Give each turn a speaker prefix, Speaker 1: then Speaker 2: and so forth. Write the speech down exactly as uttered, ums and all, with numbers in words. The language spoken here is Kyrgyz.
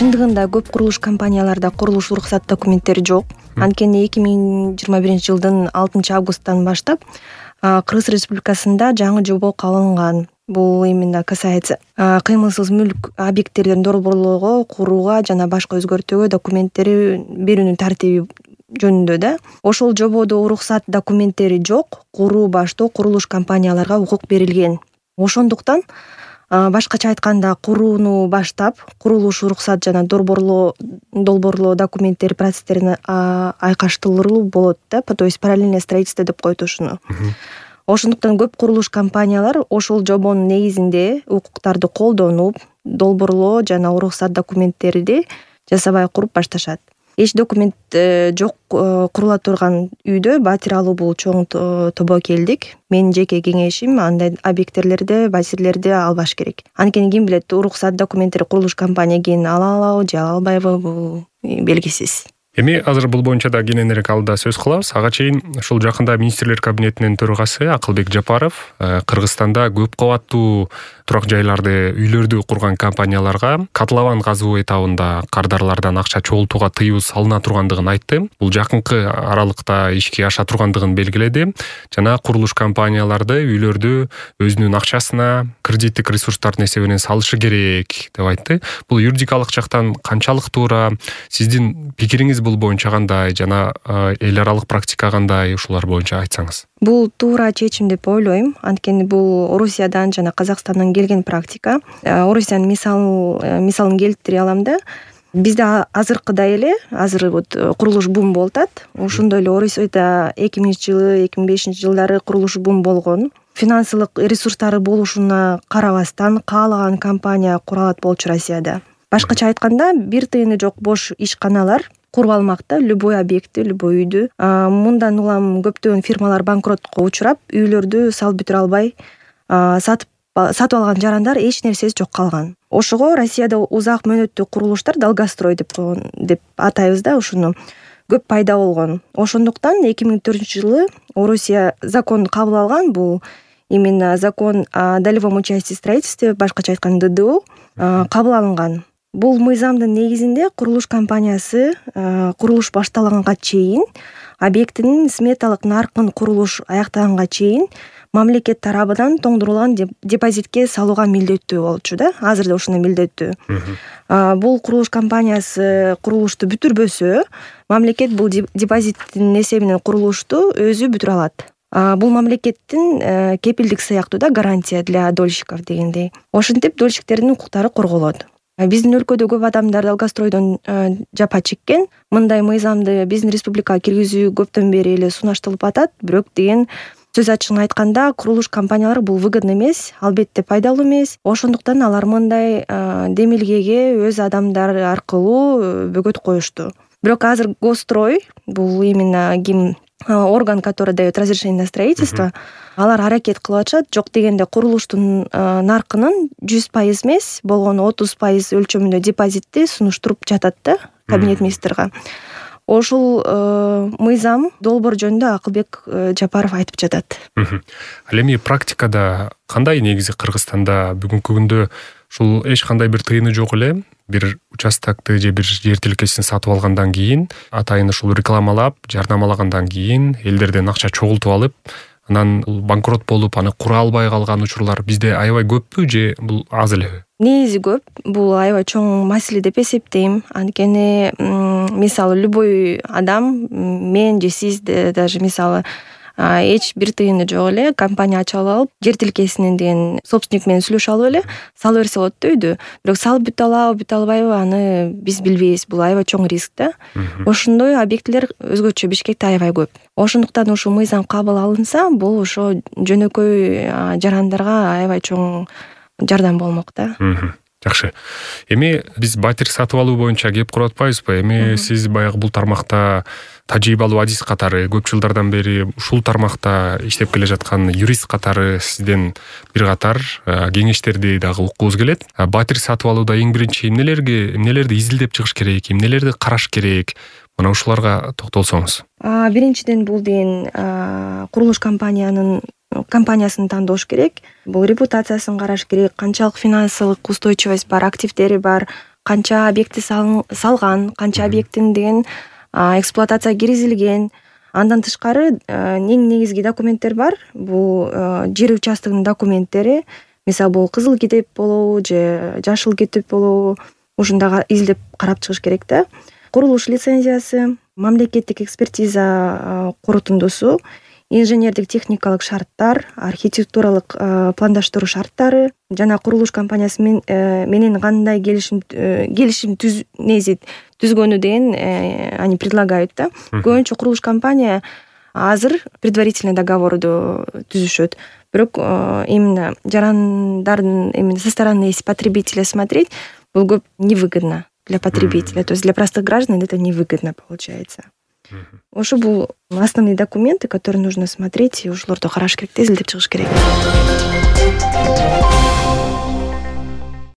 Speaker 1: чындыгында көп курулуш компанияларда курулуш уруксат документтери жок. Анткени эки миң жыйырма биринчи жылдын алтынчы августтан баштап Кыргыз Республикасында жаңы жобо кабыл алынган. Бул именно касается кыймылсыз мүлк объекттерин долбоорлоого, курууга жана башка өзгөртүүгө документтери берүүнүн тартиби жөнүндө да. Ошол жободо уруксат документтери жок, куруу баштоо курулуш компанияларга укук берилген. Ошондуктан башкача айтканда курууну баштап, курулуш уруксат жана долбоорлоо долбоорлоо документтери процесстерин айкаштыруу болот да, то есть параллельное строительство деп коет ушуну. Ошондуктан көп курулуш компаниялар ошол жобонун негизинде укуктарды колдонуп, долбоорлоо жана уруксат документтерди жасабай куруп башташат. Эч документ жок курула турган үйдө батир алуу бул чоң тобо келдик. Менин жеке кеңешим андай объекттерлерди, батирлерди албаш керек. Анткени ким билет, уруксат документтери курулуш компания кийин ала алабы же ала албайбы, бул белгисиз.
Speaker 2: Эми азыр бул боюнча да кененирээк алда сөз кылабыз. Ага чейин ушул жакында министрлер кабинетинин төрагасы Акылбек Жапаров Кыргызстанда көп кабаттуу турак жайларды, үйлөрдү курган компанияларга котлован казуу этабында кардарлардан акча чогултууга тыюу салына тургандыгын айтты. Бул жакынкы аралыкта ишке аша тургандыгын белгиледи. Жана курулуш компанияларды үйлөрдү өзүнүн акчасына, кредиттик ресурстардын эсебинен салышы керек деп айтты. Бул юридикалык жактан канчалык туура? Сиздин пикириңиз бул боюнча кандай жана эл аралык практика кандай, ушулар боюнча айтсаңыз?
Speaker 1: Бул туура чечим деп ойлойм. Анткени бул Орусиядан жана Казакстандан келген практика. Орусиянын мисал мисалын келтире алам да. Бизде азыркыдай эле, азыр вот курулуш бум болуп атат. Ошондой эле Орусияда эки миңинчи жылы, эки миң бешинчи жылдары курулуш бум болгон. Финансылык ресурстары болушуна карабастан каалаган компания кура алат болчу Россияда. Башкача айтканда, бир тыйыны жок бош ишканалар куруп алмакта, любой объектти, любой үйдү. Мындан улам көптөгөн фирмалар банкротко учурап, үйлөрдү салып бүтүрө албай, сатып сатып алган жарандар эч нерсеси жок калган. Ошого Россияда узак мөөнөттүү курулуштар, долгострой деп деп атайбыз да ушуну, көп пайда болгон. Ошондуктан эки миң төртүнчү жылы Орусия закон кабыл алган, бул именно закон о долевом участии в строительстве, башкача айтканда ДДУ кабыл алынган. Бул мыйзамдын негизинде курулуш компаниясы курулуш башталганга чейин, объектинин сметалык наркын курулуш аяктаганга чейин мамлекет тарабынан тоңдурулган депозитке салууга милдеттүү болчу да. Азыр да ушуна милдеттүү. Бул курулуш компаниясы курулушту бүтүрбөсө, мамлекет бул депозиттин эсебинен курулушту өзү бүтүрө алат. Бул мамлекеттин кепилдик сыяктуу да, гарантия для дольщиков дегендей. Ошентип дольщиктердин укуктары корголот. Биздин өлкөдө көп адамдар долгостройдон жапа чеккен. Мындай мыйзамды биздин республикага киргизүү көптөн бери эле сунушталып атат, бирок деген сөз ачыгын айтканда курулуш компаниялар бул выгодно эмес, албетте пайдалуу эмес. Ошондуктан алар мындай демилгеге өз адамдар аркылуу бөгөт коюшту. Бирок азыр Госстрой, бул именно ким орган, который дает разрешение на строительство, алар аракет кылып атышат. Жок дегенде курулуштун наркынын жүз пайыз эмес, болгону отуз пайыз өлчөмүндө депозитти сунуштуруп жатат да кабинет министрга. Ошол мыйзам долбоор жөнүндө Акылбек Жапаров айтып жатат.
Speaker 2: Ал эми практикада кандай негизи Кыргызстанда бүгүнкү күндө ушул эч кандай бир тыйыны жок эле, бир участокты же бир жер тилкесин сатып алгандан кийин, атайын ушул рекламалап, жардамалагандан кийин элдерден акча чогултуп алып, анан банкрот болуп, аны кура албай калган учурлар бизде аябай көппү же бул аз элеби?
Speaker 1: Негизи көп. Бул аябай чоң маселе деп эсептейм. Анткени мисалы любой адам, мен же сиз даже мисалы эч бир тыйыны жок эле компания ачып алып, жер тилкесинен деген собственник менен сүйлөшүп алып эле салып берсе болот да үйдү. Бирок салып бүтө алабы, бүтө албайбы, аны биз билбейбиз. Бул аябай чоң риск да. Ошондой объекттер өзгөчө Бишкекте аябай көп. Ошондуктан ушул мыйзам кабыл алынса, бул ошо жөнөкөй жарандарга аябай чоң жардам болмок да.
Speaker 2: Жакшы. Эми биз батир сатып алуу боюнча кеп куруп атпайбызбы? Эми сиз баягы бул тармакта тажрыйбалуу адис катары көп жылдардан бери ушул тармакта иштеп келе жаткан юрист катары сизден бир катар кеңештерди дагы уккубуз келет. Батир сатып алууда эң биринчи эмнелерге, эмнелерди изилдеп чыгыш керек, эмнелерди караш керек? Мына ушуларга токтолсоңуз.
Speaker 1: Биринчиден бул деген курулуш компаниянын компаниясын тандоош керек. Бул репутациясын караш керек, канчалык финансылык устойчивость бар, активдери бар, канча объектти салган, канча объекттин деген эксплуатацияга киргизилген. Андан тышкары эң негизги документтер бар. Бул жер участогунун документтери. Мисалы бул кызыл китеп болобу же жашыл китеп болобу, ушундайга издеп карап чыгыш керек да. Курулуш лицензиясы, мамлекеттик экспертиза корутундусу, инженердик техникалык шарттар, архитектуралык пландаштыруу шарттары жана курулуш компаниясы менен кандай келишим келишим түз нези түзгөнү деген они предлагают да. Көбүнчө курулуш компания азыр предварительный договорду түзүшөт. Бирок именно жарандардын именно со стороны потребителя смотреть, бул көп невыгодно для потребителя, то есть для простых граждан это невыгодно получается. Ошо бул основные документы, которые нужно смотреть, и ошолорду караш керек, изилдеп чыгыш керек.